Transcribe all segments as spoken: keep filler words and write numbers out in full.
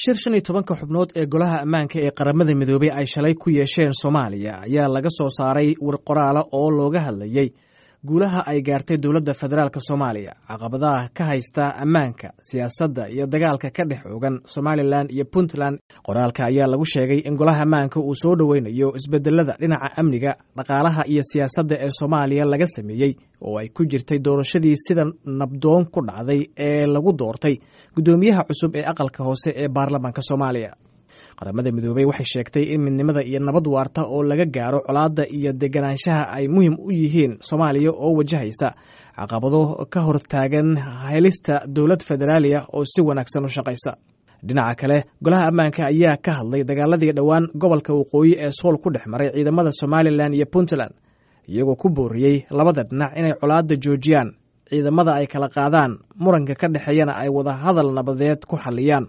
Shir shan iyo tobanka xubnood ee Golaha Ammaanka ee Qaramada Midoobey ay shalay ku yeesheen Soomaaliya ayaa laga soo saaray war qoraala oo looga hadlayey guulaha ay gaartay dowladda federaalk Soomaaliya, caqabadaha ka haysta ammaanka, siyaasadda iyo dagaalka ka dhex oogan Somalilan iyo Puntland. Qoraalka ayaa lagu sheegay in Golaha Ammaanka uu soo dhoweynayo isbedelada dhinaca amniga, dhaqaalaha iyo siyaasadda ee Soomaaliya laga sameeyey, oo ay ku jirtay doorashadii sida nabdoon ku dhacday ee lagu doortay guddoomiyaha cusub ee aqalka hoose ee baarlamaanka Soomaaliya. Qaramada Midoobey waxay sheegtay in midnimada iyo nabad waarta oo laga gaaro colaadda iyo deganaanshaha ay muhiim u yihiin Soomaaliya oo wajahaysa caqabado ka hortaagan helista dowlad federaaliya oo si wanaagsan u shaqaysa. Dhinaca kale, Golaha Ammaanka ayaa ka hadlay dagaaladii dhowaan gobolka waqooyi ee Sool ku dhex maray ciidamada Somalilan iyo Puntland, iyagoo ku booriyey labada dhinac inay colaadda joojiyaan, ciidamada ay kala qaadaan, muranka ka dhexeeyana ay wada hadal nabadeed ku xalliyaan.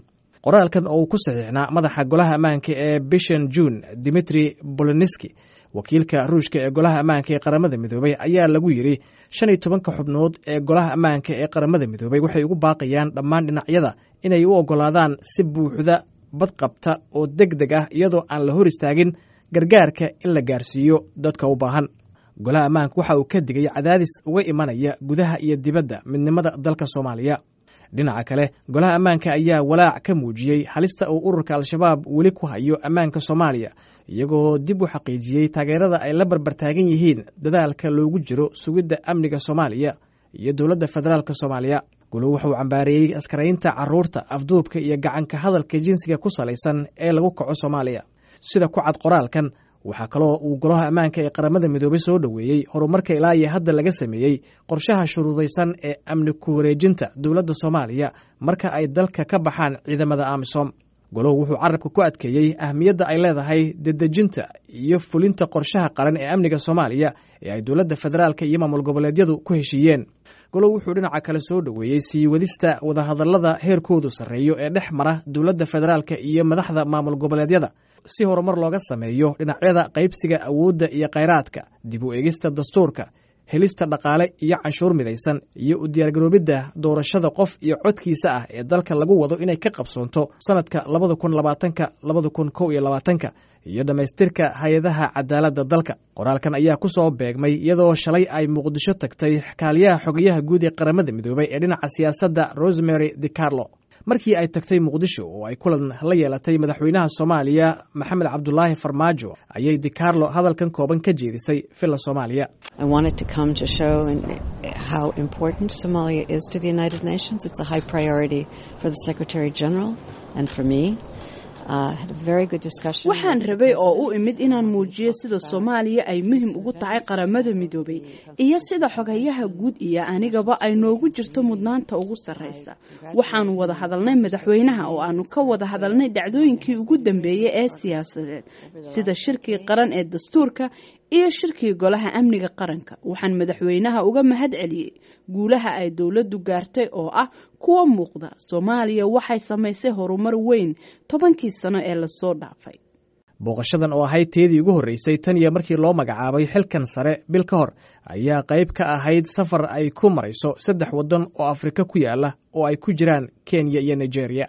Qoraalkan oo uu ku saxiixnaa madaxa Golaha Ammaanka ee bishan Juun, Dimitri Boloniski, wakiilka Ruushka ee Golaha Ammaanka ee Qaramada Midoobey, ayaa lagu yidhi: Shan iyo tobanka xubnood ee Golaha Ammaanka ee Qaramada Midoobey waxay ugu baaqayaan dhammaan dhinacyada inay u oggolaadaan si buuxda, badqabta oo deg deg ah, iyadoo aan la hor istaagin, gargaarka in la gaarsiiyo dadka u baahan. Golaha Ammaanka waxa uu ka digay cadaadis uga imanaya gudaha iyo dibadda midnimada dalka Soomaaliya. Dhinaca kale, Golaha Ammaanka ayaa walaac ka muujiyey halista uu ururka Al-Shabaab weli ku hayo ammaanka Soomaaliya, iyagoo dib u xaqiijiyey taageerada ay la barbartaagan yihiin dadaalka loogu jiro sugidda amniga Soomaaliya iyo dowladda federaalk Soomaaliya. Goluhu wuxuu cambaareeyey askaraynta caruurta, afduubka iyo gacanka hadalka jinsiga ku salaysan ee lagu kaco Soomaaliya, sida ku cad qoraalkan. Waxaa kaloo uu Golaha Ammaanka ee Qaramada Midoobey soo dhoweeyey horumarka ilaa iyo hadda laga sameeyey qorshaha shuruudaysan ee amni ku wareejinta dowladda Soomaaliya marka ay dalka ka baxaan ciidamada AMISOM. Goluhu wuxuu carabka ku adkeeyey ahmiyadda ay leedahay dedejinta iyo fulinta qorshaha qaran ee amniga Soomaaliya ee ay dowladda federaalka iyo maamul goboleedyadu ku heshiiyeen. Goluhu wuxuu dhinaca kale soo dhoweeyey sii wadista wadahadallada heerkoodu sarreeyo ee dhex mara dowladda federaalka iyo madaxda maamul goboleedyada, si horumar looga sameeyo dhinacyada qaybsiga awoodda iyo khayraadka, dib u eegista dastuurka, helista dhaqaale iyo canshuur midaysan, iyo u diyaargaroobidda doorashada qof iyo codkiisa ah ee dalka lagu wado inay ka qabsoonto sanadka labada kun labaatanka, labada kun kow iyo labaatanka, iyo dhammaystirka hay-adaha cadaaladda dalka. Qoraalkan ayaa ku soo beegmay iyadoo shalay ay Muqdisho tagtay kaaliyaha xogayaha guud ee Qaramada Midoobay ee dhinaca siyaasadda, Rosemary DiCarlo. Markii ay tagtay Muqdisho oo ay kulan la yeelatay madaxweynaha Soomaaliya Maxamed Cabdulaahi Farmaajo, ayay DiCarlo hadalkan kooban ka jeedisay Villa Soomaaliya. How important Somalia is to the United Nations. It's a high priority for the Secretary General and for me. Waxaan rabay oo u imid inaan muujiyo sida Soomaaliya ay muhim ugu tahay Qaramada Midoobay iyo sida xogayaha guud iyo anigaba ay noogu jirto mudnaanta ugu sarreysa. Waxaanu wada hadalnay madaxweynaha oo aanu ka wada hadalnay dhacdooyinkii ugu dambeeyey ee siyaasadeed, sida shirkii qaran ee dastuurka iyo shirkii Golaha Amniga Qaranka. Waxaan madaxweynaha uga mahad celiyey guulaha ay dowladdu gaartay oo ah kuwa muuqda. Soomaaliya waxay samaysay horumar weyn tobankii sano ee lasoo dhaafay. Booqashadan oo ahayd teedii ugu horreysay tan iyo markii loo magacaabay xilkan sare bil ka hor ayaa qayb ka ahayd safar ay ku marayso saddex waddan oo Afrika ku yaala oo ay ku jiraan Kenya iyo Nigeria.